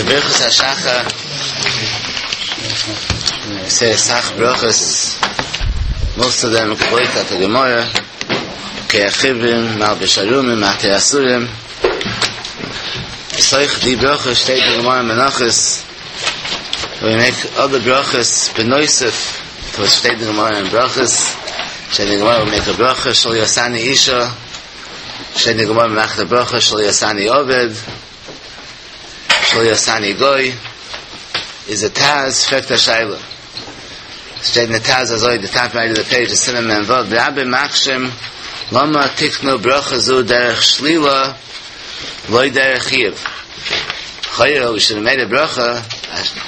ברכות השחר, ס'איז אסאך ברכות, מאסט אוו דעם געבויט אויף די גמרא, פוקח עורים, מלביש ערומים, מתיר אסורים, בתוך די ברכות שטייט אין גמרא מנחות, ווי מעיק אדער ברכות בנוסף צו וואס שטייט אין גמרא אין ברכות, שטייט אין גמרא ווי מעיק א ברכה שלא עשני אישה, שטייט אין גמרא מ'מאכט א ברכה שלא עשני עבד, שלא עשני גוי, איז די ט"ז פרעגט א שאלה, שטייט אין די ט"ז אזוי, די טאפ רייט אוו די פעידזש איז סימן מ"ו, ורבים מקשים למה תקנו ברכה זו דרך שלילה ולא דרך חיוב, לכאורה ווי שוד העוו מעיד א ברכה,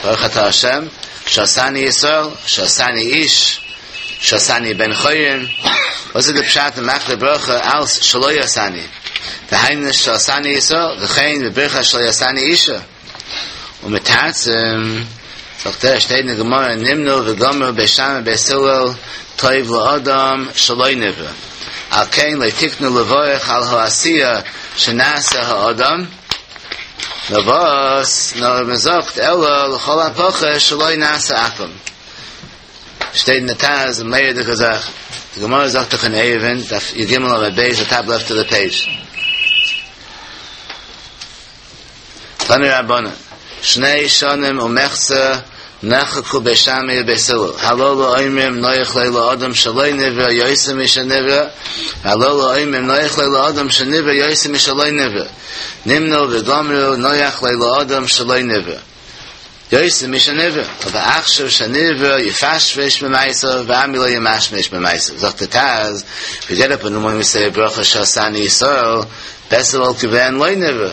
ברוך אתה השם, שעשני ישראל, שעשני איש, שעשני בן חורין, וואס איז די פשט מען מאכט די ברכה אלס שלא עשני, דהיינו שעשני ישראל, וכן בברכת שלא עשני אישה, ומתרצים, זאגט ער, שטייט אין די גמרא נמנו וגמרו בית שמאי ובית הלל טוב לאדם שלא נברא, על כן לא תקנו לברך על העשיה שנעשה האדם, נאר וואס, נאר מען זאגט אלא לכל הפחות שלא נעשה עכו"ם. שטייט אין די ט"ז א מורא'דיגע זאך, די גמרא זאגט דאך אין עירובין, דף י"ג עמוד ב', די טאפ לעפט אוו די פעידזש. תנו רבנן, שני שנים ומחצה נחלקו בית שמאי ובית הלל, הללו אומרים נוח לו לאדם שלא נברא יותר משנברא, והללו אומרים נוח לו לאדם שנברא יותר משלא נברא, נמנו וגמרו נוח לו לאדם שלא נברא. יותר משנברא, אבער עכשיו שנברא יפשפש במעשיו ואמי לא ימשמש במעשיו, זאגט דער ט"ז, ווי געט אפ אין די מארנינג ווי סעי ברכה שעשני ישראל, בעסער וואלט געווען לא נברא,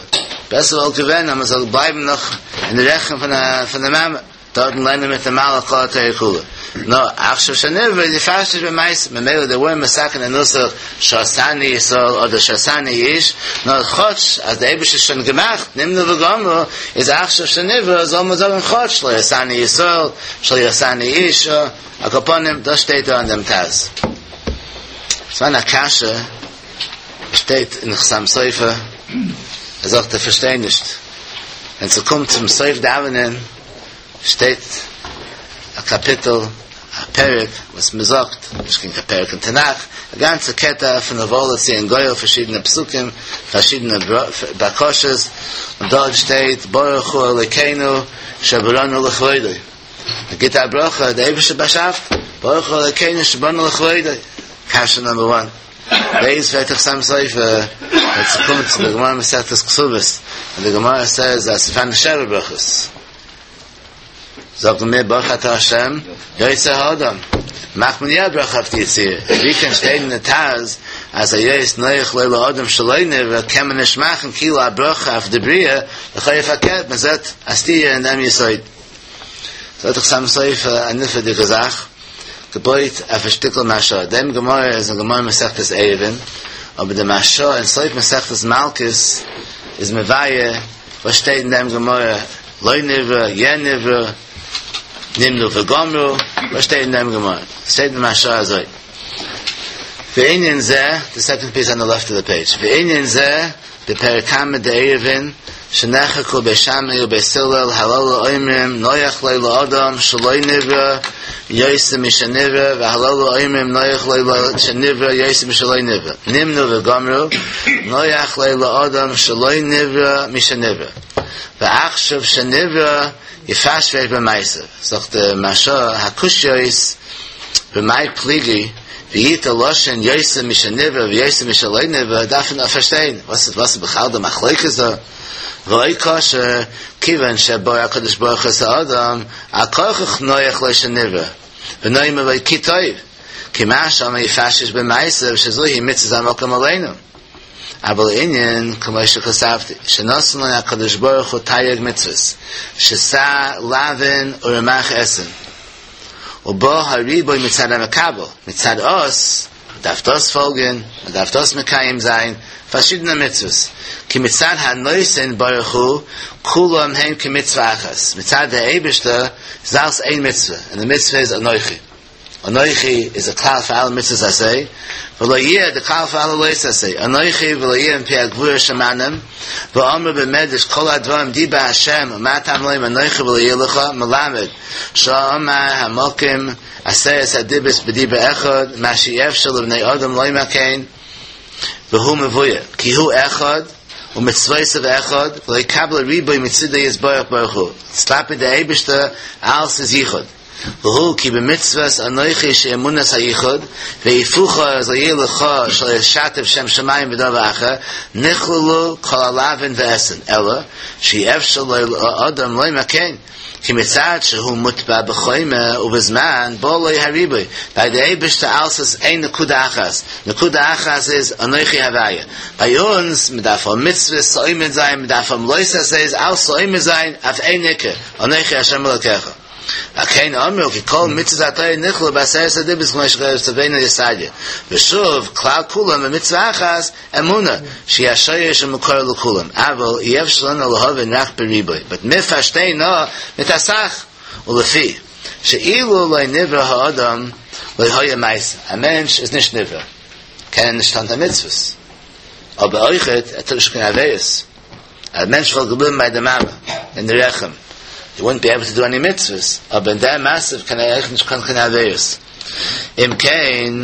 בעסער וואלט געווען אז מען זאל בלייבן נאך אין די רחם פון די מאמע. דארטן לערנען מיט די מלאך כל התורה כולה. נאר עכשיו שנברא יפשפש במעשיו, ממילא דעי ווערנט מתקן די נוסח שעשני ישראל אדער שעשני איש, נאר כאטש אז די אייבערשטער האט שוין געמאכט נמנו וגמרו, איז עכשיו שנברא זאל מען זאגן כאטש שלא עשני ישראל, שלא עשני איש, על כל פנים דאס שטייט דא אין דעם ט"ז. ס'איז א קשיא, שטייט אין חתם סופר, ער זאגט ער פארשטייט נישט, ווען ס'קומט צום סוף דאווענען שטייט א קאפיטל, א פרק וואס מען זאגט, נישט קיין פרק אין תנך, א גאנצע קטע פון ובא לציון גואל, פארשידענע פסוקים, פארשידענע בקשות, און דארט שטייט ברוך הוא אלוקינו שבראנו לכבודו, מען גיבט א ברכה, דער אייבערשטער באשאפט, ברוך הוא אלוקינו שבראנו לכבודו, קשיא נאמבער וואן. בית פרעגט דער חתם סופר, ווען ס'קומט צו די גמרא מסכת כתובות, און די גמרא סעז אז ס'פארהאן שבע ברכות, זאגן מיר ברוך אתה השם יוצר האדם, מאכט מען יא א ברכה אויף די יצירה, ווי קען שטיין אין די ט"ז אז היות נוח לו לאדם שלא נברא קען מען נישט מאכן כאילו א ברכה אויף די בריאה, לכאו' פארקערט מען זעט א סתירה אין דעם יסוד. זאגט דער חתם סופר א נפלא'דיגע זאך. געבויט אויף א שטיקל מהרש"א, דעם גמרא איז אין גמרא מסכת עירובין, אבער די מהרש"א אין סוף מסכת מלקות איז מבאר וואס שטייט אין דעם גמרא, לא נברא, יא נברא, נמנו וגמרו, וואס שטייט אין דעם גמרא? שטייט אין מהרש"א אזוי, וענין זה, די סעקאנד פיס אן די לעפט אוו די פעידזש, וענין זה, בפרק קמא דעירובין, שנחלקו בית שמאי ובית הלל הללו אומרים נוח לו לאדם שלא נברא יותר משנברא והללו אומרים נוח לו שנברא יותר משלא נברא נמנו וגמרו נוח לו לאדם שלא נברא משנברא ועכשיו שנברא יפשפש במעשיו זאגט די מהרש"א הקושיות במאי פליגי ואיתא לשון יותר משנברא ויותר משלא נברא דארף מען פארשטיין וואס איז וואס איז בכלל די מחלוקת דא ועוד קשה כיוון שברא הקדוש ברוך הוא את האדם על כרחך נוח לו שנברא ונאמר לו כי טוב כי מה שאמר יפשפש במעשיו שזוהי מצוות המקום עלינו אבל הענין כמו שכתבתי שנתן לו הקדוש ברוך הוא תרי"ג מצוות שס"ה לאווין ורמ"ח אתין ובא הריבוי מצד המקבל, מצד אויס, מען דארף דאס פאלגען, מען דארף דאס מקיים זיין, פארשידענע מצוות, כי מצד הנותן ברוך הוא, כולם הם כמצוה אחת, מצד דער אייבערשטער איז אלעס איין מצוה, און די מצוה איז אנכי. אנכי איז א כלל פאר אלע מצוות עשה, ולא יהיה די כלל פאר אלע לא תעשה, אנכי ולא יהיה מפי הגבורה שמענום, ואמרו במדרש כל הדברים דיבר השם ומה תלמוד לומר אנכי ולא יהיה לך, מלמד שאמר המקום עשרת הדיברות בדיבור אחד, מה שאי אפשר לבני אדם לומר כן, והוא מבואר, כי הוא אחד, ומצוותיו אחד, ולא יקבל ריבוי מצידו יתברך ברוך הוא, כלפי דער אייבערשטער אלס איז יחוד. והוא כי במצוות אנכי שאמונת היחוד, והיפוכה אז לא יהיה לך שלא ישתף שם שמים בדבר אחר, נכללו כל הלאווין והעשין, אלא שאי אפשר לאדם לומר כן, כי מצד שהוא מוטבע בחומר ובזמן בא לו הריבוי, ביי די אייבערשטער אלס איז איין נקודה אחת, נקודה אחת איז אנכי הוויה, ביי אונז מען דארף האבן מצוות צו עומד זיין, מען דארף האבן לא תעשה'ס אלס צו עומד זיין אויף איין עיקר, אנכי השם אלוקיך. על כן אמרו כי כל מצוות התורה נכללו בעשרת הדיברות כמו שצווינו סעדיה. ושוב, כלל כולם במצוה אחת, אמונה, שהיא השורש ומקור לכולם. אבל אי אפשר לנו להבין רק בריבוי. But מיר פארשטיין נאר מיט אסאך. ולפי שאילו לא נברא האדם לא היה מעשה. א מענטש איז נישט נברא, קען ער נישט טון קיין מצוות. אבער אויכעט ער טוט נישט קיין עבירות. א מענטש וואלט געבליבן ביי די מאמע אין די רחם, he wouldn't be able to do any מצוות, אבער אין דעם מצב קען ער אויך נישט טון קיין עבירות. אם כן,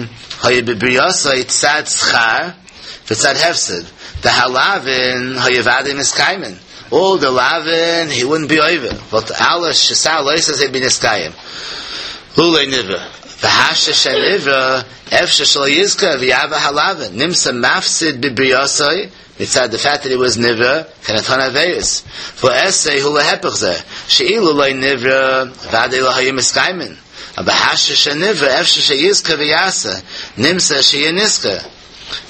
היה בבריאתו צד שכר וצד הפסד, דהלאווין היה ודאי מתקיימין, all the לאווין he wouldn't be עובר, וואלט אלע שס"ה לא תעשה be נתקיים. לולא נברא, והשתא שנברא, אפשר שלא יזכה ויעבור הלאווין, נמצא מפסיד בבריאתו, מצד the fact that he was נברא, קען ער טון עבירות. ועשה הוא להיפך זה, שאילו לא נברא, ודאי לא היו מתקיימין. אבער השתא שנברא, אפשר שיזכה ויעשה, נמצא שיהיה נשכר.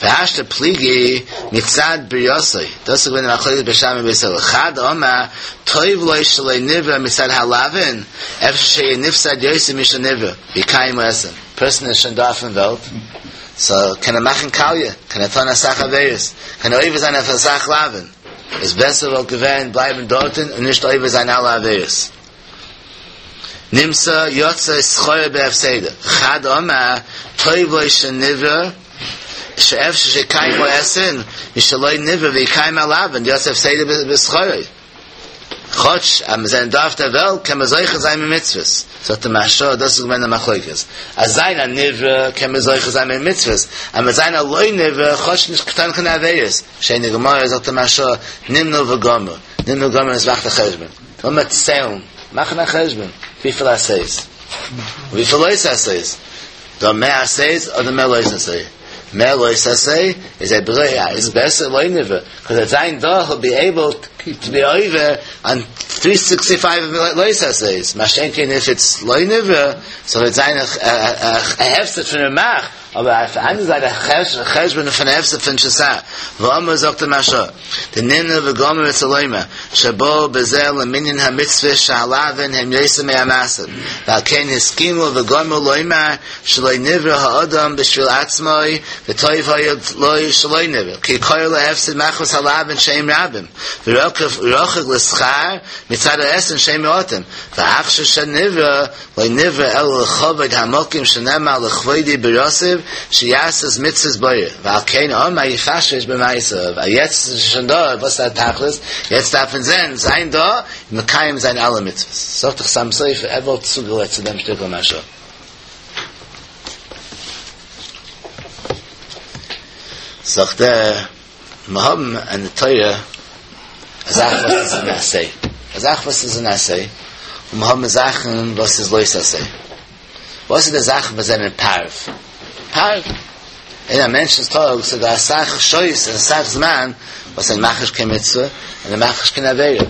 והשתא פליגי מצד בריאתו, דאס איז געווען די מחלוקת בית שמאי ובית הלל. חד אמר, טוב לו שלא נברא מצד הלאווין, אפשר שיהיה נפסד יותר משנברא, ויקיים העשין. Person איז שוין דא אויפן וועלט, סאו קען ער מאכן קאליע, קען ער טון אסאך עבירות, קען ער עובר זיין אויף אסאך לאווין, איז בעסער וואלט געווען בלייבן דארטן און נישט עובר זיין אלע עבירות. נמצא יצא שכרו בהפסדו, חד אמר, טוב לו שנברא, שאפשר שיקיים העשין, משלא נברא ויקיים הלאווין, יצא הפסדו בשכרו. כאטש אז מיר זענען דא אויף דער וועלט קען מען זוכה זיין מיט מצוות, זאגט דער מהרש"א, דאס איז געווען די מחלוקת, אז זיין א נברא קען מען זוכה זיין מיט מצוות, אז מיר זיין א לא נברא כאטש נישט געטאן קיין עבירות, שיינע גמרא, זאגט דער מהרש"א, נמנו וגמרו, נמנו וגמרו איז מאכט א חשבון, לאמיר ציילן, מאכן א חשבון, וויפיל עשה'ס, וויפיל לא תעשה'ס, דא מער עשה'ס אדער מער לא תעשה? מער לא תעשה איז א בריאה איז בעסער לא נברא קאז עט זיין דא היל בי עיבל טו בי עובר אן טרי סיקסטי פייוו לא תעשה'ס מה שאין כן איף איטס לא נברא סאו וועט זיין א הפסד פון רמ"ח אבער אויף די אנדערע זייט א חשבון פון הפסד פון שס"ה ואמר זאגט דער מהרש"א דנמנו וגמרו רצה לומר שבאו בזה למנין המצוות שהלאווין הם יותר מהמעשים ועל כן הסכימו וגמרו לומר שלא נברא האדם בשביל עצמו וטוב היה לו שלא נברא כי קרוב להפסד מחמת הלאווין שהם רבים ורחוק לשכר מצד העשין שהם מועטים ועכשיו שנברא לא נברא אלא לכבוד המקום שנאמר לכבודי בראתיו שיעשה מצוות בורא ועל כן אמר יפשפש במעשיו אז יעצט איז שוין דא וואס איז א תכלית יעצט דארף מען זען זיין דא מקיים זיין אלע מצוות זאגט דער חתם סופר ער וואלט צוגעלייגט צו דעם שטיקל מהרש"א זאגט ער מיר האבן אין די תורה א זאך וואס איז אן עשה, א זאך וואס איז אן עשה, און מיר האבן זאכן וואס איז לא תעשה. וואס איז די זאכן וואס זענען פארווע? פארווע. אין א מענטשנ'ס טאג ס'איז דא אסאך שעות און אסאך זמן וואס ער מאכט נישט קיין מצוה און ער מאכט נישט קיין עבירה.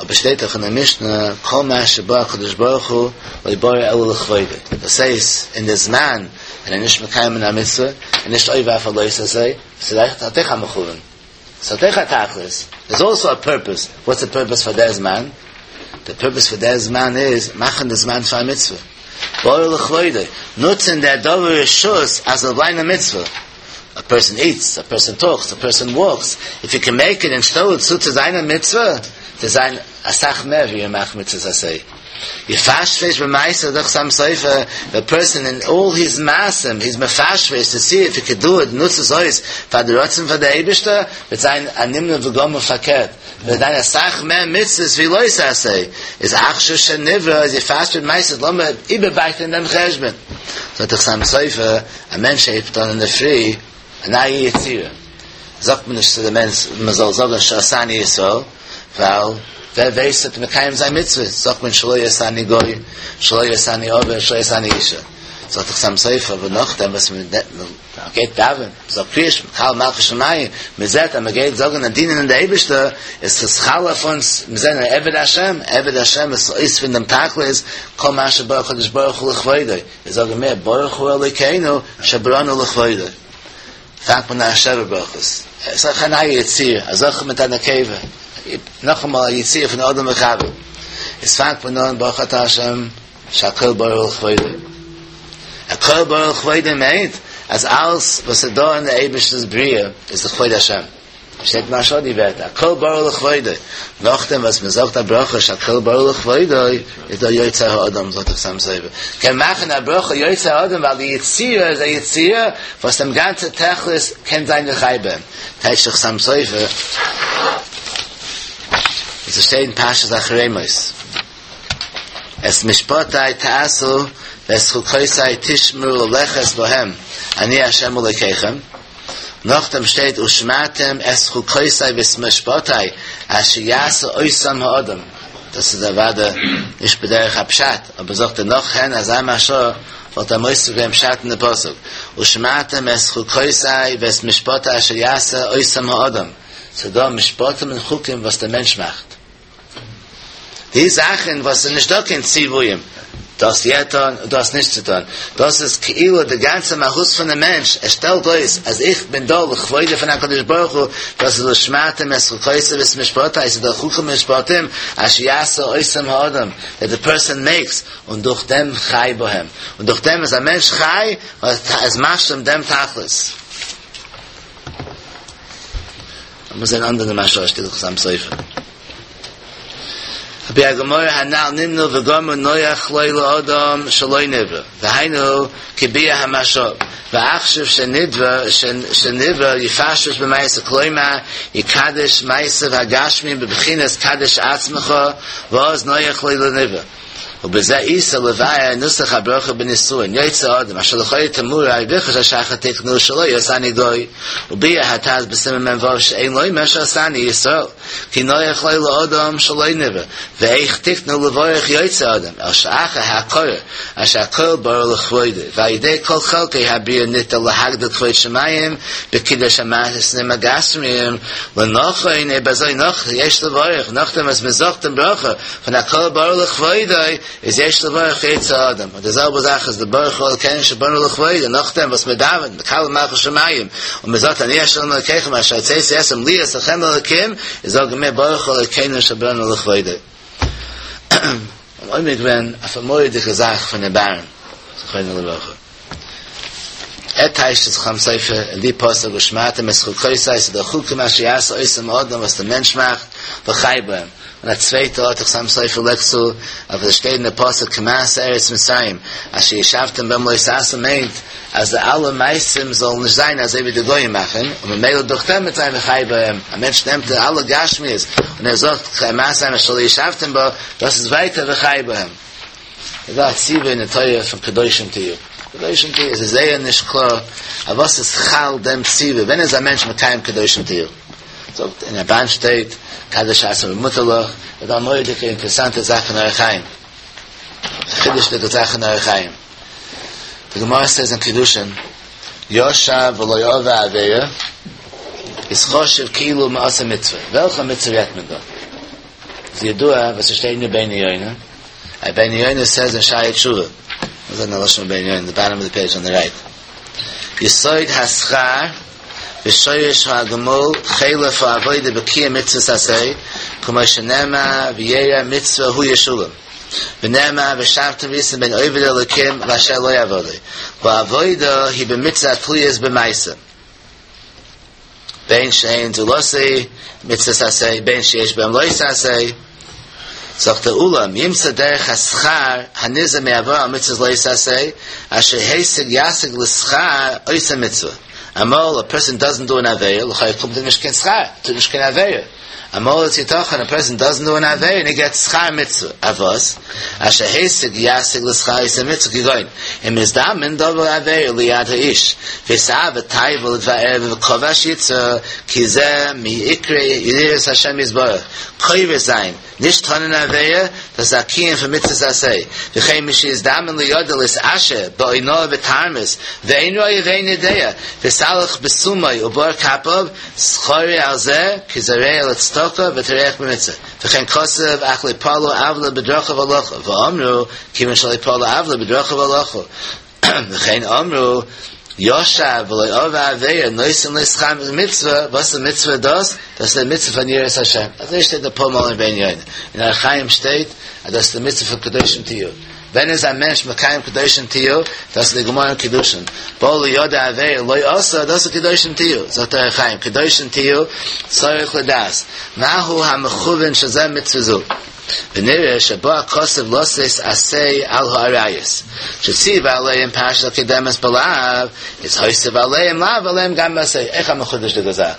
אבער שטייט דאך אין די משנה כל מה שברא הקדוש ברוך הוא לא ברא אלא לכבודו, דאס הייסט אין די זמן ווען ער איז נישט מקיים א מצוה און נישט עובר אויף א לא תעשה, ס'איז אויך א מכוון, ס'האט אויך א תכלית, דער'ס אלסא א פורפעס, וואטס די פורפעס פאר דער זמן? די פורפעס פאר דער זמן איז מאכן די זמן פאר א מצוה, ברא לכבודו, נוצן דער דבר רשות אז זאל זיין א מצוה. א פערסאן איטס, א פערסאן טאלקס, א פערסאן וואלקס, איף יו קען מעיק איט און שטעל עס צו צו זיין א מצוה, צו זיין אסאך מער ווי ער מאכט מצוות עשה. יפשפש במעשיו זאגט חתם סופר, די פערסאן אין אלל היז מעשים היז מפשפש טו סי איף הי קען דו איט, נוצט עס אויס פאר די רצון פאר די אייבישטער, וועט זיין א נמנע וגמור פארקערט, וועט זיין אסאך מער מצוות ווי לא תעשה, איז עכשיו שנברא איז יפשפש במעשיו לאמיר איבערבייטען דעם חשבון. זאגט דער חתם סופר, א מענטש הייבט אן אינדערפרי א נייע יצירה, זאגט מען נישט צו די מענטש מען זאל זאגען שעשני ישראל, ווייל ווער ווייסט וועט מקיים זיין מצוות, זאגט מען שלא עשני גוי, שלא עשני עבד, שלא עשני אישה. זאגט דער חתם סופר, אבער נאכדעם וואס מען גייט דאווענען, זאגט קריאת שמע, קל מלכות שמים, מען זעט אז מען גייט זאגן און דינען די אייבערשטער, איז עס חל אויף אונז, מיר זענען עבד השם, עבד השם איז אויספירן דעם תכלית, כל מה שברא הקדוש ברוך הוא לכבודו, מיר זאגן מער ברוך הוא אלוקינו שבראנו לכבודו. פאנגט מען אן שבע ברכות. עס איז אויך א נייע יצירה, א זכר מיט א נקבה, נאכאמאל א יצירה פון אדם וחוה. עס פאנגט מען אן ברוך אתה השם שהכל ברא לכבודו. הכל ברא לכבודו מיינט אז אלס וואס איז דא אין די אייבערשטענס בריאה איז לכבוד השם. שטייט ממש די ווערטער הכל ברא לכבודו, נאכדעם וואס מען זאגט א ברכה שהכל ברא לכבודו איז דא יוצר האדם זאגט דער חתם סופר קען מאכן א ברכה יוצר האדם ווייל די יצירה איז א יצירה וואס דעם גאנצע תכלית קען זיין וחי בהם טייטשט דער חתם סופר עס שטייט אין פרשת אחרי מות את משפטי תעשו ואת חוקותי תשמרו ללכת בהם אני ה' אלוקיכם נאכדעם שטייט ושמרתם את חוקותי ואת משפטי אשר יעשה אותם האדם, דאס איז אוודאי נישט בדרך הפשט, אבער זאגט ער נאך הן אזא מהרש"א וואלט ער מוסיף געווען פשט אין די פסוק ושמרתם את חוקותי ואת משפטי אשר יעשה אותם האדם, ס'דא משפטים און חוקים וואס דער מענטש מאכט. די זאכן וואס איז נישט דא קיין ציוויים, דאס יא טון און דאס נישט צו טון, דאס איז כאילו די גאנצע מהות פון די מענטש, ער שטעלט אויס אז איך בין דא לכבודו פון הקדוש ברוך הוא, דאס איז ושמרתם את חוקותי ואת משפטי, ס'איז דא חוקים ומשפטים אשר יעשה אותם האדם, דעט די פערסאן מעיקס, און דורך דעם חי בהם, און דורך דעם איז א מענטש חי, ווייל ער איז משלים דעם תכלית. מוז זיין אנדערע מהרש"א שטייט דאך חתם סופר. על פי הגמרא הנ"ל נמנו וגמרו נוח לו לאדם שלא נברא והיינו כביאור המהרש"א ועכשיו שנברא שנברא יפשפש במעשיו כלומר יקדש מעשיו הגשמיים בבחינת קדש עצמך ואז נוח לו לנברא ובזה איתא לבאר נוסח הברכה בנישואין יוצר האדם אשר לכאורה תמוה וברכת השחר תקנו שלא עשני גוי וביאר הט"ז בסימן מ"ו שאין לומר שעשני ישראל כי נוח לו לאדם שלא נברא ואיך תקנו לברך יוצר האדם אלא שאחר ההכרה שהכל ברא לכבודו ועל ידי כל חלקי הבריאה ניתן להגדיל כבוד שמים בקידוש המעשים הגשמיים לנכון אויב אזוי נאך יש לברך נאכדעם וואס מען זאגט דעם ברכה פון הכל ברא לכבודו איז יש לברך יוצר האדם, און די זעלבע זאך איז די ברוך הוא אלקינו שבראנו לכבודו, נאכדעם וואס מען דאווענט מקבל מלכות שמים און מען זאגט אני ה' אלקיכם אשר הוצאתי אתכם להיות לכם לאלקים, איז זאגן מיר ברוך הוא אלקינו שבראנו לכבודו. און עומד געווען אויף א מורא'דיגע זאך פון ר' אהרן זכרונו לברכה. ער טייטשט דעם חתם סופר אין די פסוק ושמרתם את חוקותי ס'איז די חוקים אשר יעשה אותם האדם וואס די מענטש מאכט וחי בהם און א צווייטע ארט דער חתם סופר לייגט צו אז וואס שטייט אין די פסוק כמעשה ארץ מצרים אשר ישבתם בם לא תעשו מיינט אז די אלע מעשים זאלן נישט זיין אזוי ווי די גויים מאכן און ממילא דורך דעם וועט זיין וחי בהם א מענטש נעמט די אלע גשמיות און ער זאגט כמעשה אשר ישבתם בה דאס איז ווייטער וחי בהם. איז דא א ציווי אין די תורה פון קדושים תהיו. קדושים תהיו איז זייער נישט קלאר אויף וואס איז חל דעם ציווי, ווען איז א מענטש מקיים קדושים תהיו? זאגט אין רמב"ן שטייט קדש עצמך במותר לך, איז דא א מורא'דיגע אינטערעסאנטע זאך אין אורח חיים, א חידוש'דיגע זאך אין אורח חיים. די גמרא סעיז אין קידושין, ישב ולא עבר עבירה איז חשוב כאילו מעשה מצוה. וועלכע מצוה רעדט מען דא? איז ידוע וואס ס'שטייט אין רבינו יונה, רבינו יונה סעז אין שערי תשובה, וואס איז די לשון רבינו יונה, די באטאם אוו די פעידזש אן די רייט, יסוד השכר ושורש הגמול חלף העבודה בקיום מצוות עשה, כמו שנאמר וירא מצוה הוא ישולם, ונאמר ושבתם וראיתם בין עובד אלוקים לאשר לא עבדו, והעבודה היא במצוה התלויות במעשה. בין שאין זולתו מצוות עשה בין שיש בהם לא תעשה. זאגט ער אולם ימצא דרך השכר הנגזר מעברה על מצוות לא תעשה אשר השיג ישיג לשכר עושה מצוה. אמאל א פערסאן דאזענט דו אן עבירה, לכאו' קומט אים נישט קיין שכר, טוט נישט קיין עבירה. אמאל איז יתכן א פערסאן דאזענט דו אן עבירה און ער געטס שכר מצוה, אויף וואס? אשר השיג ישיג לשכר עושה מצוה כגון אם נזדמן דבר עבירה ליד האיש ואתאוה תאוה לדבר ערווה וכבש יצרה כי זה מעיקרי יראת השם יתברך כובש זיין נישט טון אן עבירה, דאס איז א קיום פון מצוות עשה, וכן משנזדמן לידו להתעשר באונאה ותרמית, ואין רואה ואין יודע, והתהלך בסומו ובר כפיו, שכרו על זה כי זורע לצדקה וטורח במצוה, וכן כתוב אך לא פעלו עוולה בדרכיו הלכו, ואמרו כיוון שלא פעלו עוולה בדרכיו הלכו, וכן אמרו ישב ולא עבר עבירה נותן לו שכר מצוה, וואס איז מצוה דאס? דאס איז די מצוה פון יראת השם, אזוי שטייט אפאר מאל אין רבינו יונה, אין אור החיים שטייט אז דאס איז די מצוה פון קדושים תהיו, ווען איז א מענטש מקיים קדושים תהיו? דאס איז די גמרא אין קידושין, בא לידו עבירה לא עשה, דאס איז קדושים תהיו, זאגט דער אור החיים, קדושים תהיו צריך לדעת מהו המכוון שזה מצוה זו. ונראה שבא הכתוב לתת עשה על העריות, שציווה עליהם פרשה הקודמת בלאו, איז הוסיף עליהם לאו ועליהם גם בעשה, אויך א מחודש'דיגע זאך.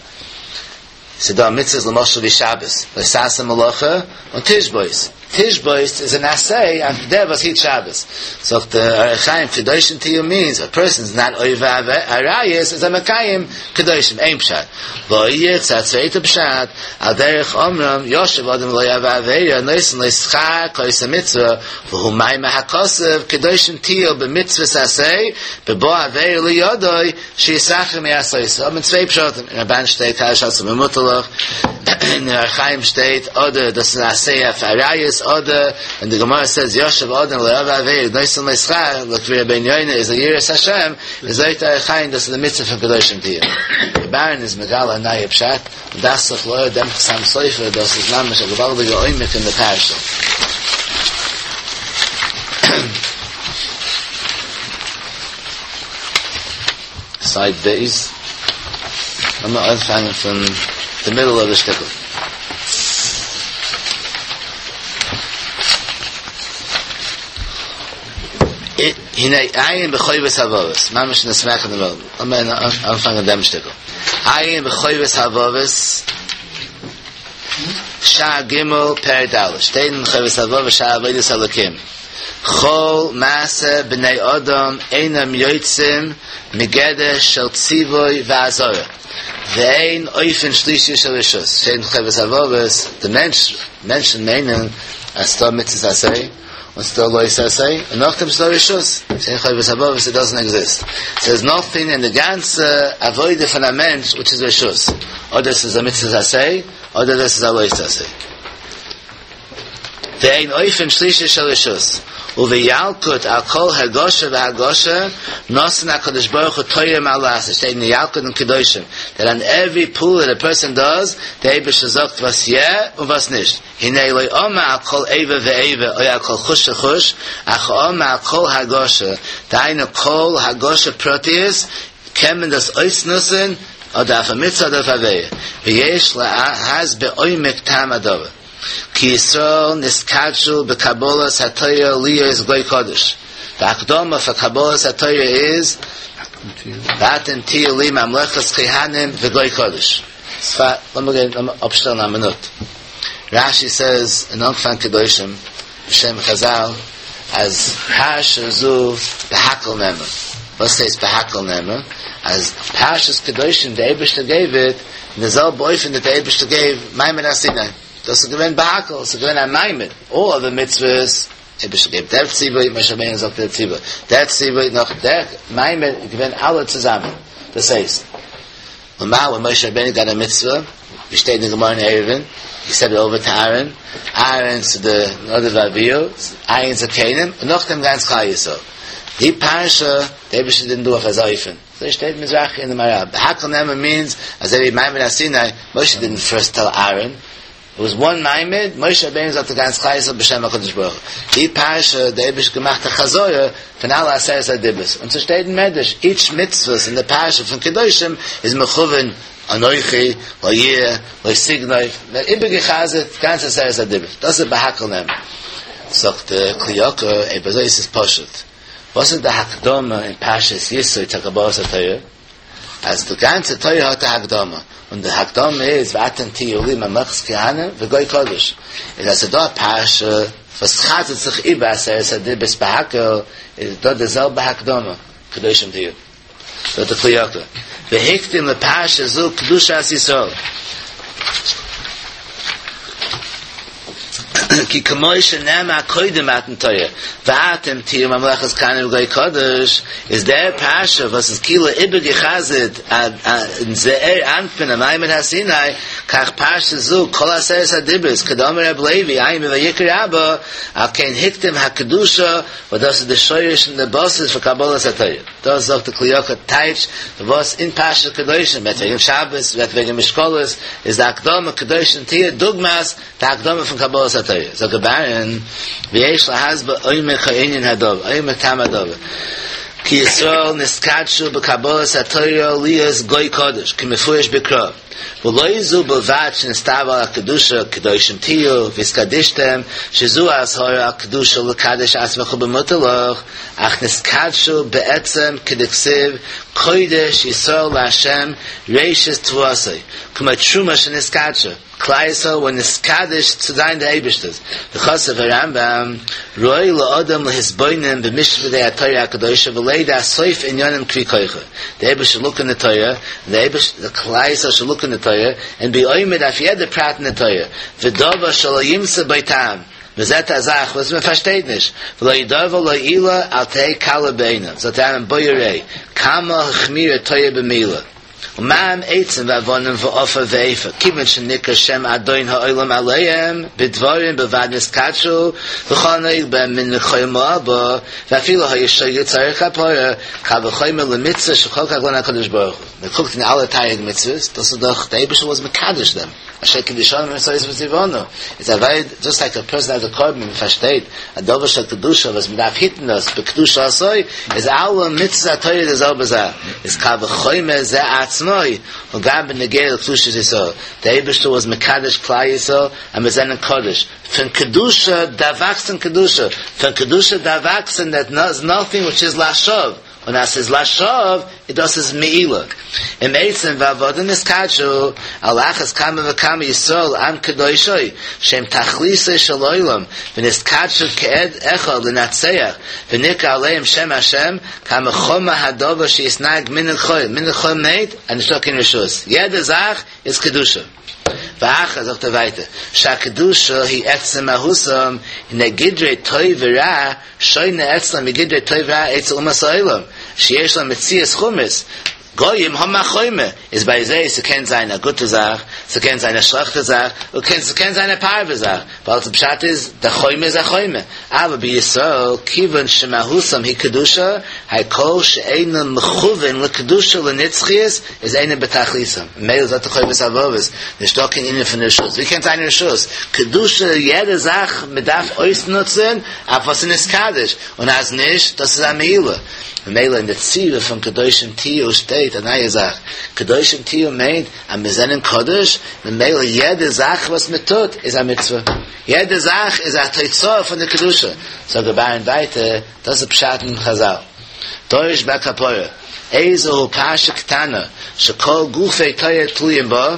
ס'דא מצוות למשל ווי שבת, לא תעשה מלאכה, און תשבות. תשבות איז אן עשה אויף דער וואס היט שבת. זאגט דער אור החיים קדושים תהיו מיינס א פערסאן איז נאט עובר עריות איז ער מקיים קדושים, איין פשט. ועוד א צווייטע פשט, על דרך אומרם ישב אדם ולא עבר עבירה נותן לו שכר כעושה מצוה והוא מאמר הכתוב קדושים תהיו במצוות עשה בבא עבירה לידו שישתחרר מעשותה האבן צוויי פשטים אין רמב"ן שטייט קדש עצמך במותר לך אין אור החיים שטייט אדער דאס איז עשה אויף עריות אדער ווען די גמרא סעז ישב אדם ולא עבר עבירה נותן לו שכר לויט רבינו יונה איז א יראת השם איז זאגט אור החיים דאס איז די מצוה פון קדושים תהיו ר' אהרן איז מגלה א נייע פשט און דאכט זיך לאור דעם חתם סופר דאס איז ממש א געוואלדיגע עומק אין די פרשה. סייד ב', לאמיר אנפאנגען פון די מידל אוו די שטיקל. הנה עיין בחובת הלבבות, ממש אין די סמך אין די מידל, לאמיר אנפאנגען דעם שטיקל. עיין בחובת הלבבות, שער ג' פרק ד', שטייט אין חובת הלבבות שער עבודת אלקים. כל מעשה בני אדם אינם יוצאים מגדר של ציווי ואזהרה, ואין אופן שלישי של רשות, שטייט אין חובת הלבבות, די מענטש, מענטשן מיינען אז ס'דא מצות עשה, און ס'דא לא תעשה, און נאכדעם ס'דא רשות, שטייט אין חובת הלבבות איט דאזענט עקזיסט, ס'איז נאטינג אין די גאנצע עבודה פון א מענטש וויטש איז רשות, אדער ס'איז א מצות עשה, אדער דאס איז א לא תעשה. ואין אופן שלישי של רשות, ובילקוט על כל הרגשה והרגשה נתן הקדוש ברוך הוא תורה מה לעשות, שטייט אין ילקוט אין קדושים, דעט אן עווערי פעולה דעט א פערסאן דאז, די אייבערשטער זאגט וואס יא און וואס נישט, הנה לא אמר על כל איבר ואיבר או על כל חוש וחוש, אך אמר על כל הרגשה, דהיינו כל הרגשה פרטית, קען מען דאס אויסנוצן אדער אויף א מצוה אדער אויף א עבירה, ויש להסביר עומק טעם הדבר. כי ישראל נתקדשו בקבלת התורה להיות גוי קדוש, די הקדמה פאר קבלת התורה איז ואתם תהיו לי ממלכת כהנים וגוי קדוש. לאמיר גיין לאמיר אפשטעלן א מינוט. רש"י סעז אין אנפאנג קדושים בשם חזל אז פרשה זו בהקהל נאמרה. וואס הייסט בהקהל נאמרה? אז פרשת קדושים די אייבערשטער געיוו איט אין די זעלבע אופן דעט די אייבערשטער געיוו מעמד הר סיני. דאס איז געווען בהקהל, עס איז געווען א מעמד, אלל אדער מצוות, אייבערשטער געבט דער ציווי, משה רבינו זאגט דער ציווי, דער ציווי נאך דער מעמד איז געווען אלע צוזאמען, דאס הייסט, למעלה ווען משה רבינו גאט א מצוה, ווי שטייט אין גמרא אין עירובין, הי סעד איט אווער טו אהרן, אהרן צו די נדב ואביהוא, ע' זקנים, און נאכדעם גאנץ כלל ישראל. די פרשה, די אייבערשטער דידנט דו אויף אזא אופן. אזוי שטייט מזרחי אין די מהר"ל. בהקהל נאמר מיענס אזוי ווי מעמד הר סיני, משה דידנט פירסט טעל אהרן, איט וואס וואן מעמד, משה רבינו זאגט די גאנץ כלל ישראל בשם הקדוש ברוך הוא. די פרשה די אייבערשטער געמאכט א חזרה פון אלע עשרת הדיברות, און ס'שטייט אין מדרש איטש מצוות אין די פרשה פון קדושים איז מכוון. אנכי, לא יהיה, לא תגנוב, מ'האט איבערגע'חזר'ט גאנץ עשרת הדיברות, דאס איז בהקהל נאמר. זאגט דער כלי יקר, אויב אזוי איז עס פשוט, וואס איז די הקדמה אין פרשת יתרו צו קבלת התורה? אז די גאנצע תורה האט א הקדמה, און די הקדמה איז ואתם תהיו לי ממלכת כהנים וגוי קדוש, איז אז ס'איז דא א פרשה וואס חזר'ט זיך איבער עשרת הדיברות בהקהל, איז דא די זעלבע הקדמה, קדושים תהיו. זאגט דער כלי יקר, והקדים לפרשה זו קדושת ישראל. כי כמו שנאמר קודם מתן תורה, ואתם תהיו ממלכת כהנים וגוי קדוש, איז דער פרשה וואס איז כאילו איבערגעחזרט אין זעיר אנפין אין מעמד הר סיני, כך פרשה זו כל עשרת הדיברות כדאמר רב לוי עיין בויקרא רבה, על כן הקדים הקדושה וואס דאס איז די שורש און די בסיס פאר קבלת התורה. דאס זאגט די כלי יקר טייטש וואס אין פרשת קדושים רעדט וועגן שבת, רעדט וועגן משקלות, איז די הקדמה קדושים תהיו דוגמת די הקדמה פון קבלת התורה. זאגט ר' אהרן, ויש להסביר עומק הענין הדבר, עומק טעם הדבר, כי ישראל נתקדשו בקבלת התורה להיות גוי קדוש, כמפורש בקרא. ולא זו בלבד שנצטוו על הקדושה קדושים תהיו והתקדשתם שזו אזהרה על קדושה לקדש עצמך במותר לך אך נתקדשו בעצם כדכתיב קודש ישראל לה' ראשית תבואתו כמו תרומה שנתקדשה כלל ישראל ווער נתקדש צו זיין די אייבערשטערס וכתב הרמב"ם ראוי לאדם להתבונן במשפטי התורה הקדושה ולידע סוף ענינים כפי כוחו די אייבערשטער לוק אין די תורה, און די אייבערשטער, די כלל ישראל שוד לוק אין די תורה, און בי עומד אויף יעדע פרט אין די תורה, ודבר שלא ימצא בו טעם, מען זעט א זאך וואס מען פארשטייט נישט, ולא ידבר לא עילה אל תהא קלה בעיניו, זאגט דער רמב"ם בא וראה, כמה החמירה תורה במילה, ומה הם עצים ואבנים ועפר ואפר, כיוון שנקרא שם אדון העולם עליהם, בדברים בלבד נתקדשו, וכל הנוהג בהם מן לכל מעל בה, ואפילו היה שוגג צריך כפרה, קל וחומר למצוה שחקק לנו הקדוש ברוך הוא. מען קוקט אין אלע תרי"ג מצוות, דאס איז דאך די אייבערשטער וואס מקדש דעם, אשר קדשנו במצותיו וציוונו, איטס א ווערי, דזשאסט לייק א פערסאן העז א קרבן, מען פארשטייט א דבר של קדושה וואס מען דארף היטן דאס בקדושתו, איז אלע מצוות התורה די זעלבע זאך, איז קל וחומר זה עצמו, און גם בנוגע לקדושת ישראל, די אייבערשטער וואס מקדש כלל ישראל אז מיר זענען קדוש, פון קדושה דארף וואקסן קדושה, פון קדושה דארף וואקסן דעט איז נאטינג וויטש איז לשוא, און אז ס'איז לשוא איז דאס איז מעילה. אם עצים ואבנים נתקדשו, על אחת כמה וכמה ישראל עם קדושו, שהם תכליתו של עולם, ונתקדשו כעד אחד לנצח, ונקרא עליהם שם השם, כמה חמור הדבר שיתנהג מנהג חול, מנהג חול מיינט אז נישטא קיין רשות, יעדע זאך איז קדושה. ואחר זאגט ער ווייטער, שהקדושה היא עצם מהותם, הנה גדרי טוב ורע שונה אצלם מגדרי טוב ורע אצל אומות העולם, שיש להם מציאות חומרית, גויים האבן א חומר, איז ביי זיי ס'קען זיין א גוטע זאך, ס'קען זיין א שלעכטע זאך, און ס'קען זיין א פארווע זאך, ווייל די פשט איז, די חומר איז א חומר, אבל בישראל כיוון שמהותם היא קדושה, הכל שאינו מכוון לקדושה לנצחיות, איז אינו בתכליתם, ממילא זאגט דער חובת הלבבות, נישטא קיין ענין פון רשות, ווי קען זיין רשות? קדושה יעדע זאך מען דארף אויסנוצען אויף וואס איז נתקדש, און אז נישט דאס איז א מעילה, ממילא אין די ציווי פון קדושים תהיו שטייט א נייע זאך, קדושים תהיו מיינט אז מיר זענען קדוש, ממילא יעדע זאך וואס מען טוט איז א מצוה, יעדע זאך איז א תוצאה פון די קדושה, זאגט ר' אהרן ווייטער, דאס איז פשט אין חזל, דורש בכפרה. איזהו פרשה קטנה שכל גופי תורה תלויים בה,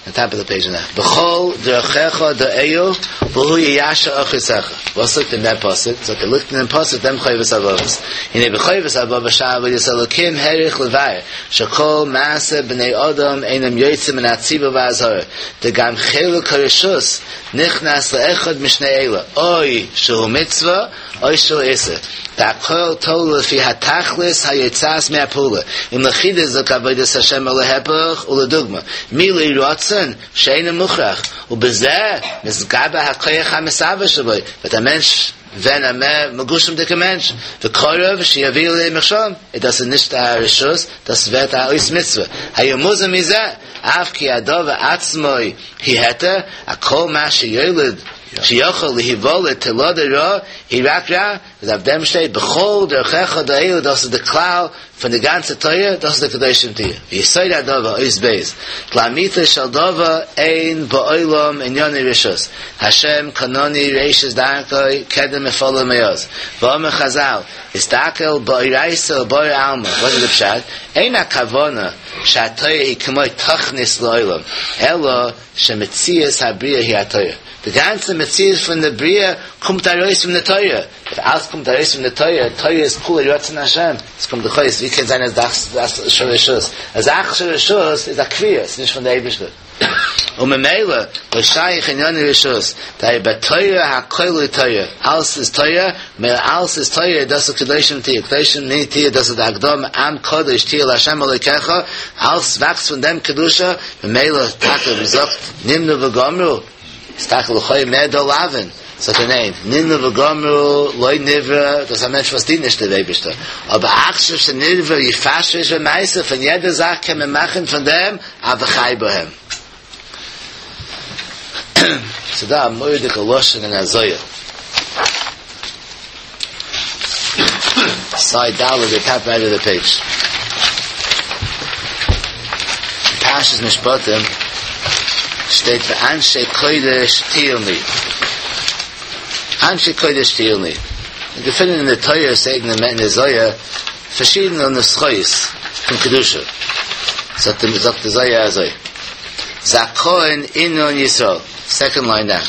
די טאפ אוו די פעידזש נאו, בכל דרכיך דעהו והוא יישר אורחותיך, וואס ליגט אין דעם פסוק? זאגט ער ליגט אין דעם פסוק דעם חובת הלבבות, הנה בחובת הלבבות שער עבודת אלקים האריך לבאר שכל מעשה בני אדם אינם יוצאים מן הציווי והאזהרה, דגם חלק הרשות נכנס לאחד משני אלה, או שהוא מצוה או שהוא איסור, והכל תלוי לפי התכלית היוצאת מהפעולה, אם לחיזוק עבודת השם או להיפך, ולדוגמא, מילוי רצון שאינו מוכרח, ובזה מתגבר הכח המסבב שבו, ווערט א מענטש ווען א מער מגושמ'דיגע מענטש, וקרוב שיביא לידי מכשול, איז דאס איז נישט א רשות, דאס ווערט א אות מצוה, היה מוזהר מזה, אף כי הדבר עצמו היא היתר, אך כל מה שיולד שיכול להיוולד תולדה רעה, היא רק רע, איז אויף דעם שטייט בכל דרכיך דעהו, דאס איז די כלל. פון די גאנצע תורה, דאס איז די קדושים תהיו. ויסוד הדבר, אות ב', לאמיתו של דבר אין בעולם עניני רשות, השם קנני ראשית דרכו קדם ופלא מעוז, ואמר חזל, אסתכל באורייתא וברא עלמא, וואס איז די פשט? אין הכוונה שהתורה היא כמו תכנית לעולם, אלא שמציאות הבריאה היא התורה. די גאנצע מציאות פון די בריאה קומט ארויס פון די תורה. אויב אלעס קומט ארויס פון די תורה, תורה איז כולה רצון השם, עס קומט דאך אויס, ווי קען זיין א זאך של רשות? א זאך של רשות איז א כפייה, עס איז נישט פון די אייבערשטער. וממילא לא שייך עניני רשות, דהיינו בתורה הכל היא תורה, אלעס איז תורה, ממילא אלעס איז תורה, דאס איז קדושים תהיו, קדושים תהיו, דאס איז די הקדמה, עם קדוש תהיה לה' אלוקיך, אלעס וואקסט פון דעם קדושה, ממילא טאקע ווי מ'זאגט נמנו וגמרו, איז טאקע לכאו' מער דא לאוין, זאגט ער ניין, נמנו וגמרו לא נברא, דאס איז א מענטש וואס דינט נישט דער אייבערשטער, אבער עכשיו שנברא יפשפש במעשיו, פון יעדע זאך קען מען מאכן פון דעם א וחי בהם. ס'דא א מורא'דיגע לשון אין א זוהר. סייד ד' די טאפ רייט אוו די פעידזש. פרשת משפטים שטייט ואנשי קודש תהיון לי. אנשי קודש תהיון לי. מיר געפינען אין די תורה שטייט אין די זוהר פארשידענע נוסחאות פון קדושה. זאגט די זוהר אזוי. זכאין אינון ישראל. סעקאנד ליין דאון.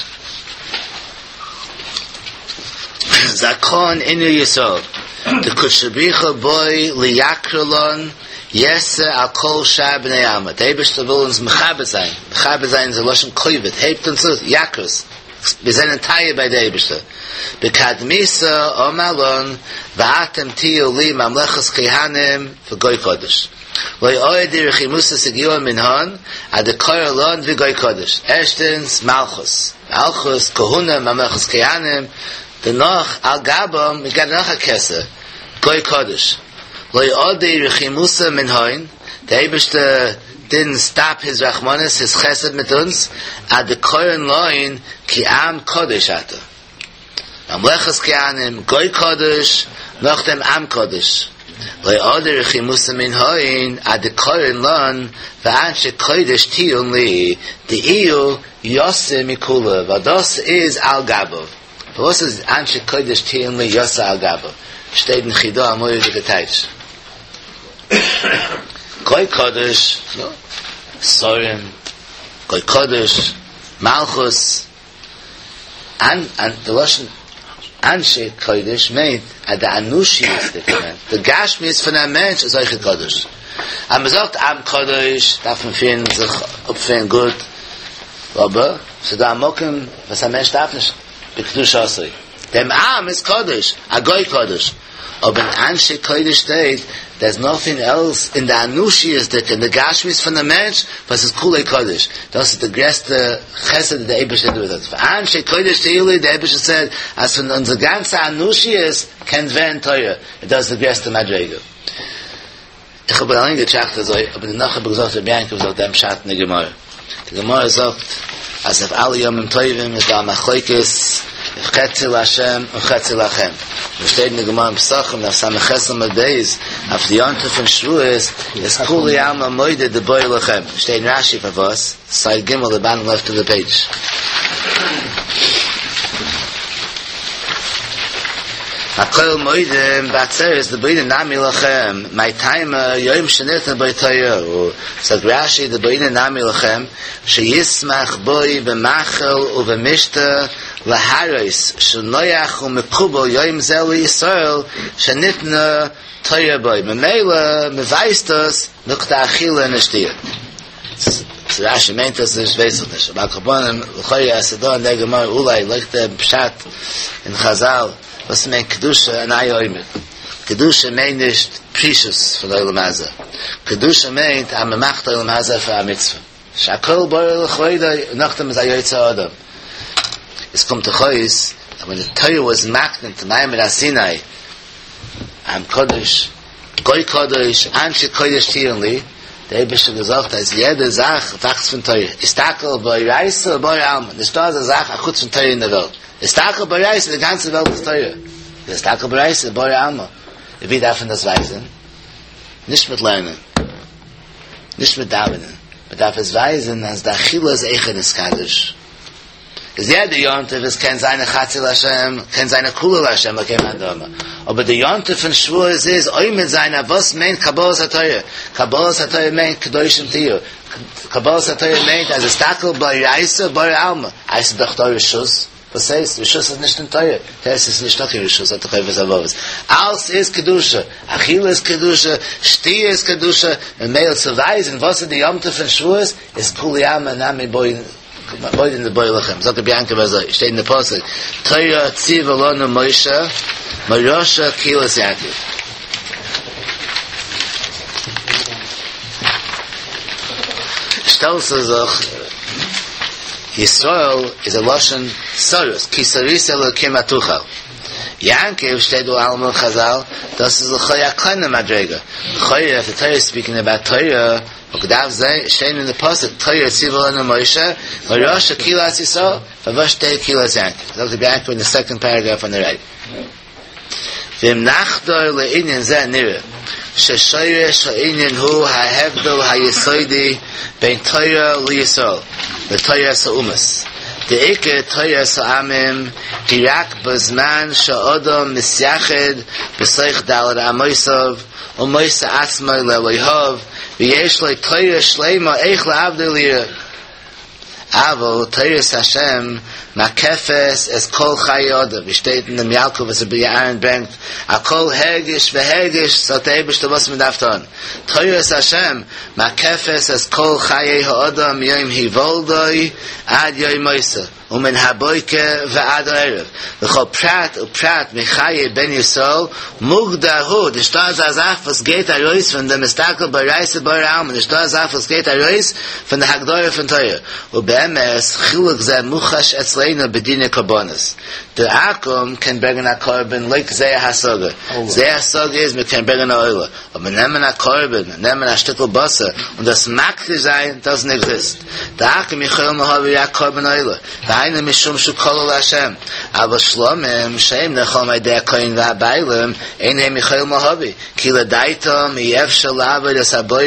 זכאין אינון ישראל, דקודשא בריך הוא בעי ליקרא לן יתר על כל שאר בני עלמא, דער אייבערשטער וויל אונז מכבד זיין, מכבד זיין איז א לשון כבוד, הייבט אונז אויף, יקרות, מיר זענען טייער ביי דער אייבערשטער, בקדמיתא אמר לן ואתם תהיו לי ממלכת כהנים וגוי קדוש. לא אהדי רחימותא סגיאה מנהן עד דקרי לן וגוי קדוש, ערשטענס מלכות, מלכות, כהונה, ממלכת כהנים, דערנאך על גבם מ'געט נאך א כתר, גוי קדוש. לא אהדי רחימותא מנהן, די אייבערשטער דידנט סטאפ היז רחמנות, היז חסד מיט אונז, עד דקרי לן כי עם קדוש אתה. ממלכת כהנים, גוי קדוש, נאכדעם עם קדוש. לא אהדי רחימותא מנהון עד דקרי לן ואנשי קודש תהיון לי, דאיהו יתיר מכולא, ווייל דאס איז על גביו. פארוואס איז אנשי קודש תהיון לי יתיר על גביו? שטייט אין חידא א מורא'דיגע טייטש. גוי קדוש, שרים, גוי קדוש, מלכות, אן אן די לשון אנשי קודש מיינט אז די אנושיות'דיגע מענטש, די גשמיות פון א מענטש איז אויך קדוש. אז מען זאגט עם קדוש דארף מען פירן זיך אויפפירן גוט, אבער ס'איז דא א מקום וואס א מענטש דארף נישט בקדושתו, דעם עם איז קדוש, א גוי קדוש. אבער אין אנשי קודש שטייט דערס נאטינג עלס אין די אנושיות'דיגע אין די גשמיות פון די מענטש וואס איז כולו קודש, דאס איז די גרעסטע חסד די אייבערשטער דא איז ואנשי קודש תהיו לי, די אייבערשטער סעד אז פון אונזער גאנצע אנושיות קען ווערן תורה, און דאס איז די גרעסטע מדריגה. איך האב אליין געטראכט אזוי, אבער דערנאך האב איך געזאגט רבי יעקב זאגט דעם פשט אין די גמרא. די גמרא זאגט אז אויף אלע ימים טובים איז דא א מחלוקת אויף חצי לה' און חצי לכם. און שטייט אין די גמרא אין פסחים דף ס"ח עמוד ב' אויף די יום טוב פון שבועות איז כולי עלמא מודה דבעי לכם. שטייט אין רש"י פארוואס, סייד ג' די באטאם לעפט אוו די פעידזש. הכל מודים בעצרת דבעינן נמי לכם, מאי טעמא יום שניתנה בו תורה הוא, זאגט רש"י דבעינן נמי לכם, שישמח בו במאכל ובמשתה להראות שנוח ומקובל יום זה לישראל שניתנה תורה בו, ממילא מ'ווייזט דאס נאך די אכילה און די שתיה. צו רש"י מיינט עס נישט ווייס איך נישט, אבער על כל פנים לכאורה אז ס'דא אין דער גמרא אולי לויט דעם פשט אין חזל וואס מיינט קדושה אין איה אומר, קדושה מיינט נישט פרישות פון עולם הזה, קדושה מיינט אז מ'מאכט עולם הזה פאר א מצוה, שהכל ברא לכבודו און נאכדעם איז א יוצר אדם. עס קומט דאך אויס אז ווען די תורה וואס מקנה צו מעמד הר סיני עם קדוש, גוי קדוש, אנשי קודש תהיון לי, דער אייבערשטער האט געזאגט אז יעדע זאך וואקסט פון תורה, אסתכל באורייתא וברא עלמא, נישטא אזא זאך אחוץ פון תורה אין דער וועלט, אסתכל באורייתא, די גאנצע וועלט איז תורה, אסתכל באורייתא וברא עלמא, ווי דארף מען דאס ווייזען? נישט מיט לערנען, נישט מיט דאווענען, מען דארף עס ווייזען אז די אכילה איז אויכעט נתקדש. איז יעדע יום טוב עס קען זיין א חצי להשם, קען זיין א כולו להשם אלקי מאן דאמר, אבער די יום טוב פון שבועות איז עומד זיין אויף וואס מיינט קבלת התורה, קבלת התורה מיינט קדושים תהיו, קבלת התורה מיינט אז אסתכל באורייתא וברא עלמא, איי ס'איז דאך דא רשות, וואס הייסט? רשות איז נישט אין תורה, תורה איז נישטא קיין רשות זאגט דער חובת הלבבות, אלס איז קדושה, אכילה איז קדושה, שתיה איז קדושה, ממילא צו ווייזן וואס איז די יום טוב פון שבועות איז כולי עלמא נמי בעי מודים דבעי לחם, זאגט רבי יעקב אזוי, שטייט אין די פסוק, תורה ציווה לנו משה, מורשה קהילת יעקב. שטעלט זיך, ישראל איז א לשון סריס, כי שרית אלוקים ותוכל. יעקב שטייט דא אלעמאל אין חזל, דאס איז לכאו' א קליינע מדריגה, לכאו' איף די תורה איז ספיקינג אבאוט תורה, וואלט געדארפט שטיין אין די פסוק תורה ציווה לנו משה, מורשה קהילת ישראל, פארוואס שטייט קהילת יעקב? זאגט רבי יעקב אין די סעקאנד פערעגרעף אן די רייט. ואם נחדור לענין זה נראה ששורש הענין הוא ההבדל היסודי בין תורה לישראל לתורת האומות, דעיקר תורת העמים היא רק בזמן שהאדם מתייחד בתוך ד' אמותיו ומוסר עצמו לאלוהיו ויש לו תורה שלימה איך לעבדו וליראה. אבל תורת השם מקפת את כל חיי אדם, ווי שטייט אין דעם ילקוט וואס רבי אהרן ברענגט, על כל הרגש והרגש זאגט דער אייבערשטער וואס מען דארף טון, תורת השם מקפת את כל חיי האדם מיום היוולדו עד יום מותו, ומן הבוקר ועד הערב, וכל פרט ופרט מחיי בן ישראל מוגדר הוא, נישטא אזא זאך וואס גייט ארויס פון דעם אסתכל באורייתא ברא עלמא, נישטא אזא זאך וואס גייט ארויס פון די הגדרה פון תורה, ובאמת חילוק זה מוחש אצלינו בדיני קרבנות, די עכו"ם קען ברענגען א קרבן לויט זייער השגה, זייער השגה איז מען קען ברענגען א עולה, אבער נעמען א קרבן, נעמען א שטיקל בשר און דאס מקדיש זיין, דאזענט עקזיסט. דעכו"ם יכולים להביא רק קרבן עולה, והיינו משום שהוא כלול להשם, אבל שלמים שהם נאכלים על ידי הכהן והבעלים, אין הם יכולים להביא, כי לדעתם אי אפשר לעבוד את הבורא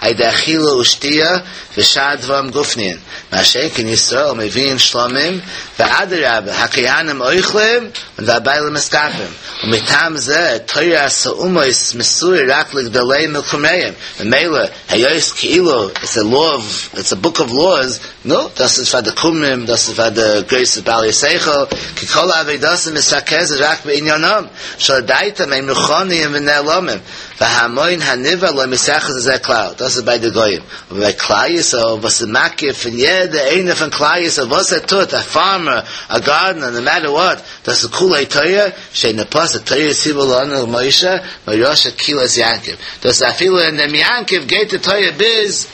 על ידי אכילה ושתיה ושאר דברים גופניים, מה שאין כן ישראל מביאים שלמים, ואדרבה הכהנים אוכלים והבעלים מתכפרים, ומטעם זה תורת האומות מסורה רק לגדוליהם מלקומריהם, ממילא היות כאילו איטס א לאו אוו, איטס א בוק אוו לאוס, נו, דאס איז פאר די כומרים, דאס איז פאר די גרויסע בעלי שכל, כי כל עבודתם מתרכזת רק בעניינם, שלדעתם הם רוחניים ונעלמים, והמון הנברא לא מתייחס לזה כלל, דאס איז ביי די גויים, אבער ביי כלל ישראל וואס איז מקיף פון יעדע איינער פון כלל ישראל וואס ער טוט, א פארמער, א גארדנער, נאו מעטער וואט, דאס איז כולו תורה, שטייט אין פסוק תורה ציווה לנו משה מורשה קהילת יעקב, דאס איז אפילו אין דעם יעקב גייט די תורה ביז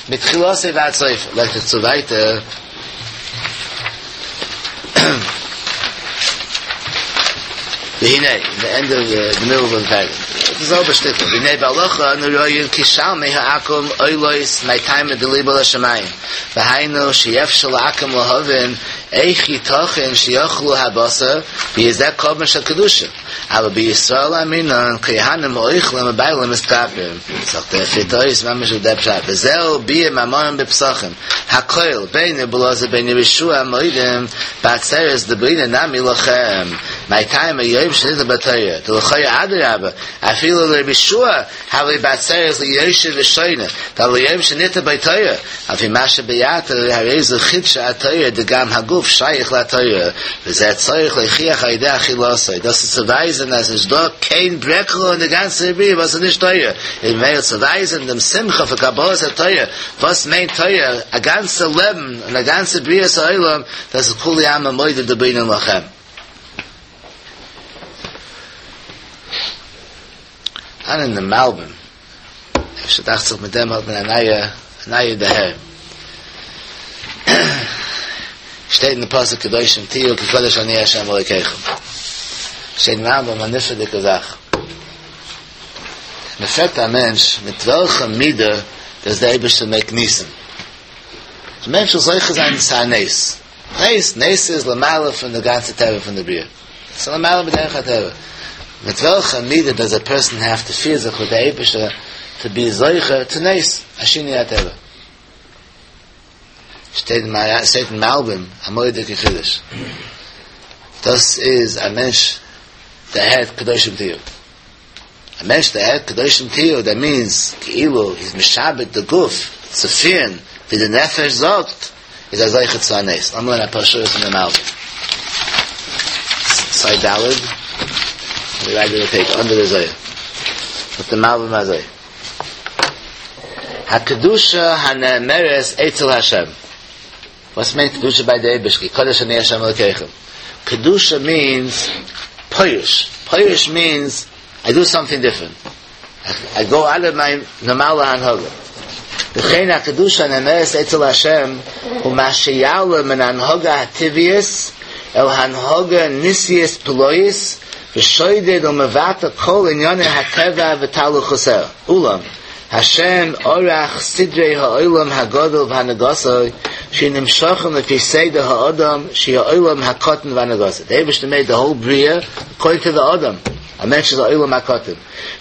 מתחילתו ועד סופו, לייגט ער צו ווייטער. והנה, אין די ענדע אוו די מידל אוו די פערעגרעף, די זעלבע שטיקל, והנה בהלכה אנו רואים כי שלמי העכו"ם עולות מטעמא דליבא לשמים, והיינו שאי אפשר לעכו"ם להבין איך יתכן שיאכלו הבשר ויהיה זה קרבן של קדושה, אבל בישראל אמרינן כהנים אוכלים ובעלים מתכפרים, זאגט ער פירט אויס ממש ווי דער פשט, וזהו ביאור מאמרם בפסחים, הכל בין רבי אלעזר בין רבי יהושע מודים בעצרת דבעינן נמי לכם, מאי טעמא יום שניתנה בו תורה, דלכאורה אדרבה, אפילו לרבי יהושע הוה ליה בעצרת ליושב ושונה, דהלא יום שניתנה בו תורה, לפי מה שביארת הרי זו חידשה התורה דגם הגוף שייך לתורה, וזה צריך להוכיח על ידי אכילתו, דאס איז צו ווייזען אז נישט דא קיין ברעקל אין די גאנצע בריאה וואס איז נישט תורה, איז ממילא צו ווייזען דעם שמחה פון קבלת התורה, וואס מיינט תורה, א גאנצע לעבן און א גאנצע בריאת העולם, דאס איז כולי עלמא מודה דבעינן לכם. אן אין דעם מלבים, אפשר דאכט זיך מיט דעם האט מען א נייע א נייע דערהער. שטייט אין די פסוק קדושים תהיו כי קדוש אני ה' אלוקיכם. שטייט אין מלבים א נפלא'דיגע זאך. מען פרעגט א מענטש מיט וועלכע מידה דאס דער אייבערשטער מעיק ניסים. א מענטש זאל זוכה זיין צו א נס. נס, נס איז למעלה פון די גאנצע טבע פון די בריאה. ס'איז למעלה מדרך הטבע. מיט וועלכע מידה דאז א פערסאן העוו טו פיר זיך מיט די אייבערשטער? to be זוכה צו נס, א שינוי הטבע. שטייט אין מלבים א מורא'דיגע חידוש. דאס איז א מענטש דערהערט קדושים תהיו. א מענטש דערהערט קדושים תהיו, דעט מיענס כאילו היז משעבד די גוף צו פירן ווי די נפש זאגט, איז ער זוכה צו א נס. לאמיר לערנען אפאר שורות אין די מלבים. סיי ד' און די רייט אוו די פעידזש אנדער די זוהר. זאגט די מלבים אזוי. הקדושה הנאמרת אצל השם. וואס מיינט קדושה ביי די אייבערשטער? כי קדוש אני השם אלקיכם. קדושה מיענס פורש. פורש מיענס איי דו סאמטינג דיפרענט. איי גאו אוט אוו מיי נארמאלע הנהגה. וכן הקדושה הנאמרת אצל השם הוא מה שיעלה מן ההנהגה הטבעית אל הנהגה ניסית פלאית ושודד ומבטל כל ענייני הטבע ותהלוכותיה. אולם השם ערך סדרי העולם הגדול והנהגתו שיהיו נמשכים לפי סדר האדם שהוא העולם הקטן והנהגתו. די אייבערשטער מעיד די האול בריאה אקארדינג טו די אדם, א מענטש איז א עולם הקטן,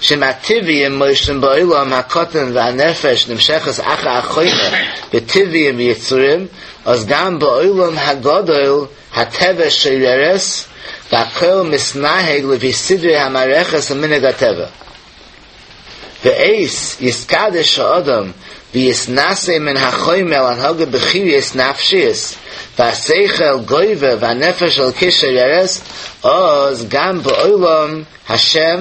שאם הטבעיים מושלים בעולם הקטן והנפש נמשכת אחר החומר בטבעיים ויצורים, אז גם בעולם הגדול הטבע שוררת והכל מתנהג לפי סדרי המערכת ומנהג הטבע. בעת יתקדש האדם ויתנשא מן החומר אל הנהגה בחיריות נפשיות והשכל גובר והנפש האלקית שוררת אז גם בעולם השם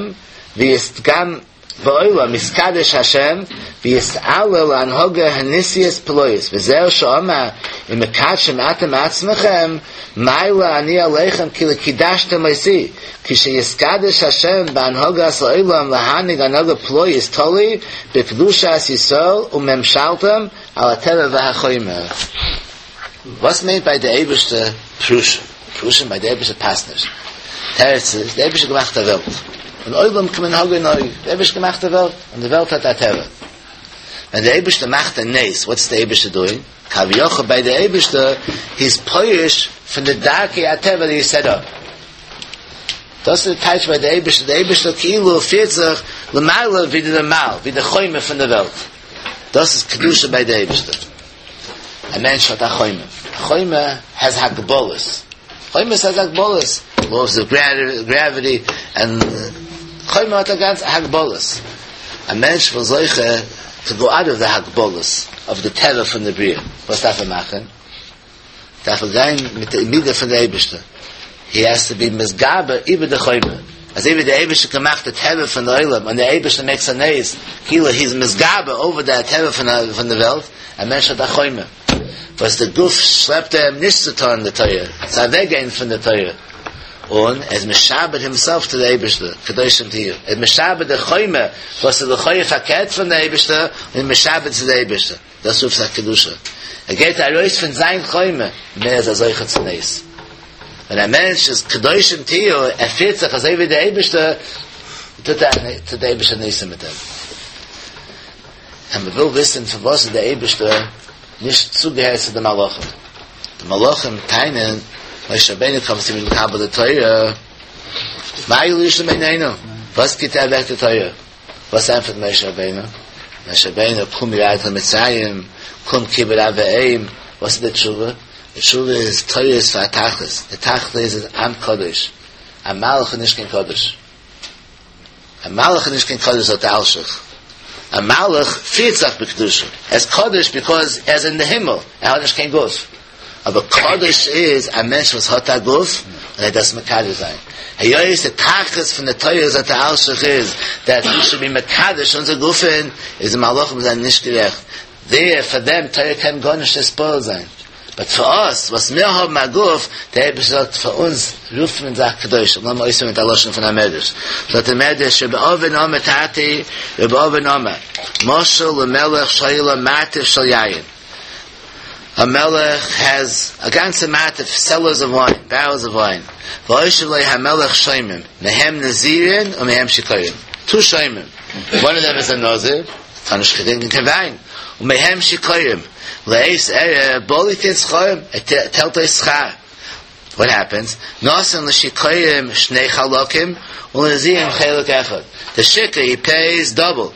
גם בעולם יתקדש השם ויתעלה להנהגה הניסית פלאית וזהו שאמר אם מקדשים אתם עצמכם מעלה אני עליכם כי לא קידשתם אותי כשיתקדש השם בהנהגת העולם להנהיג הנהגה פלאית תלוי בקדושת ישראל וממשלתם על הטבע והחומר. וואס מיינט ביי די אייבערשטער פרושים? פרושים ביי די אייבערשטער פאסט נישט. תירוץ איז, די אייבערשטער געמאכט א וועלט, און עולם כמנהגו נוהג, די אייבערשטער געמאכט א וועלט, און די וועלט האט א טבע. ווען די אייבערשטער מאכט א נס, וואטס די אייבערשטער דואינג? כביכול ביי די אייבערשטער, היז פורש פון די דרכי הטבע דעט הי סעט אפ. דאס איז די טייטש ביי די אייבערשטער, די אייבערשטער כאילו פירט זיך למעלה ווי די נארמאל, ווי די חומר פון די וועלט. דאס איז קדושה ביי די אייבערשטער. א מענטש האט א חומר, א חומר העז הגבלות, חומר העז הגבלות, לאוס אוו גרעוויטי, און חומר האט א גאנצע הגבלות. א מענטש וויל זוכה טו גאו אוט אוו די הגבלות אוו די טבע פון די בריאה, וואס דארף ער מאכן? דארף ער גיין מיט די מידה פון די אייבערשטער, הי העז טו בי מתגבר איבער די חומר, אזוי ווי די אייבערשטער האט געמאכט די טבע פון די עולם און די אייבערשטער מעיקס א נס, כאילו הי איז מתגבר אווער די טבע פון די וועלט, א מענטש האט א חומר וואס די גוף שלעפט אים נישט צו טון די תורה, צו אוועק גיין פון די תורה, און ער איז משעבד הימסעלף צו די אייבערשטער, קדושים תהיו, ער איז משעבד די חומר וואס איז לכאו' פארקערט פון די אייבערשטער, און משעבד צו די אייבערשטער. דאס רופט זיך קדושה. ער גייט ארויס פון זיין חומר, און ער איז א זוכה צו נס. ווען א מענטש איז קדושים תהיו, ער פירט זיך אזוי ווי דער אייבערשטער, טוט ער טוט דער אייבערשטער ניסים מיט אים. און מען וויל וויסן פארוואס איז דער אייבערשטער נישט צוגעהערט צו די מלאכים. די מלאכים טענה'ן, משה רבינו קומט צו מקבל די תורה, מה ילישו מעינינו? וואס גיבט ער אוועק די תורה? וואס ענטפערט משה רבינו? משה רבינו, כלום ירדת למצרים, כלום כיבוד אב ואם, וואס איז די תשובה? די תשובה איז, תורה איז פאר א תכלית, די תכלית איז עם קדוש, א מלאך איז נישט קיין קדוש, א מלאך איז נישט קיין קדוש זאגט דער אלשיך, א מלאך פירט זיך בקדושה, ער איז קדוש ביקאוז ער איז אין די הימל, ער האט נישט קיין גוף. אבער קדוש איז א מענטש וואס האט א גוף און ער דארף עס מקדש זיין. היות די תכלית פון די תורה זאגט דער אלשיך איז דעט ווי שוד בי מקדש אונזער גופים, איז די מלאכים זענען נישט גערעכט. דער פאר דעם תורה קען גארנישט נתפעל זיין. באט פאר אס וואס מיר האבן א גוף, דער אייבערשטער זאגט פאר אונז רופט מען זיך קדושים. לאמיר אויספירן מיט א לשון פון א מדרש. זאגט דער מדרש רבי אבין אמר תרתי רבי אבין אמר משל למלך שהיה לו מרתף של יין. א מלך העז א גאנצע מרתף סעלערס אוו וויין, בערעלס אוו וויין, והושיב לו המלך שומרים, מהם נזירין ומהם שיכורים, טו שומרים, וואן אוו דעם איז א נזיר, טאר נישט טרינקען קיין וויין, ומהם שיכורים, לעת ערב בא ליתן שכרם, ער טיילט אויס שכר, וואט העפענס, נתן לשיכורים שני חלקים, ולנזירים חלק אחד, די שיכור הי פעיס דאבל.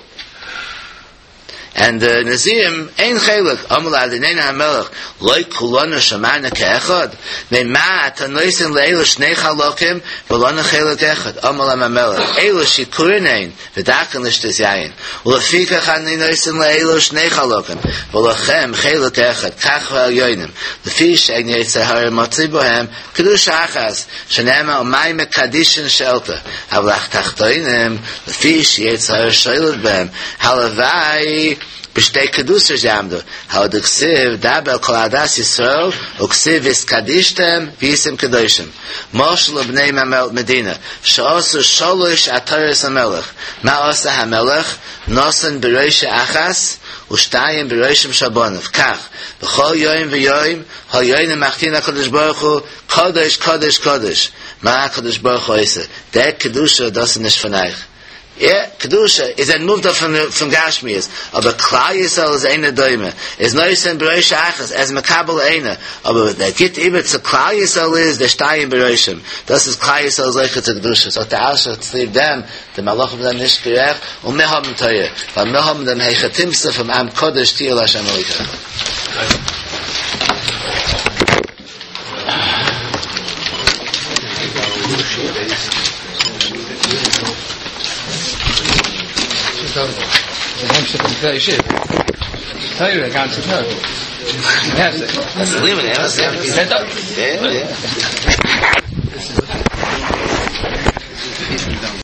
and the נזירים איין חלק, אמר לו אדונינו המלך לא כולנו שמענו כאחד, ממה אתה נותן לאלו שני חלקים ולנו חלק אחד, אמר להם המלך אלו שיכורין הן ודרכן לשתות יין, ולפיכך אני נותן לאלו שני חלקים ולכם חלק אחד, כך העליונים, לפי שאין יצר הרע מצוי בהם, קדושה אחת, שנאמר ומאי מקדישין שאלת, אבל התחתונים, לפי שיצר הרע שולט בהם, הלוואי בשתי קדושות יעמדו, הלא דכתיב דבר אל כל עדת ישראל וכתיב והתקדשתם והייתם קדושים. משל לבני מדינה שעשו שלוש עטרות למלך, מה עשה המלך? נתן בראשו אחת ושתיים בראשם של בניו, כך בכל יום ויום העליונים מחטיאין הקדוש ברוך הוא קדוש קדוש קדוש, מה הקדוש ברוך הוא עושה? דער קדושה דאס איז נישט פון אייך. יא, קדושה איז ער מובדל פון גשמיות, אבער כלל ישראל איז אינו דומה, איז נותן בראשו אחת, ער איז מקבל איינע, אבער דער גיט איבער צו כלל ישראל איז דער שתיים בראשם, דאס איז כלל ישראל זוכה צו קדושה, זאגט דער אלשיך צוליב דעם, די מלאכים זענען נישט גערעכט, און מיר האבן תורה, ווייל מיר האבן דעם היכי תמצא פון עם קדוש תהיו לה' אלוקיכם.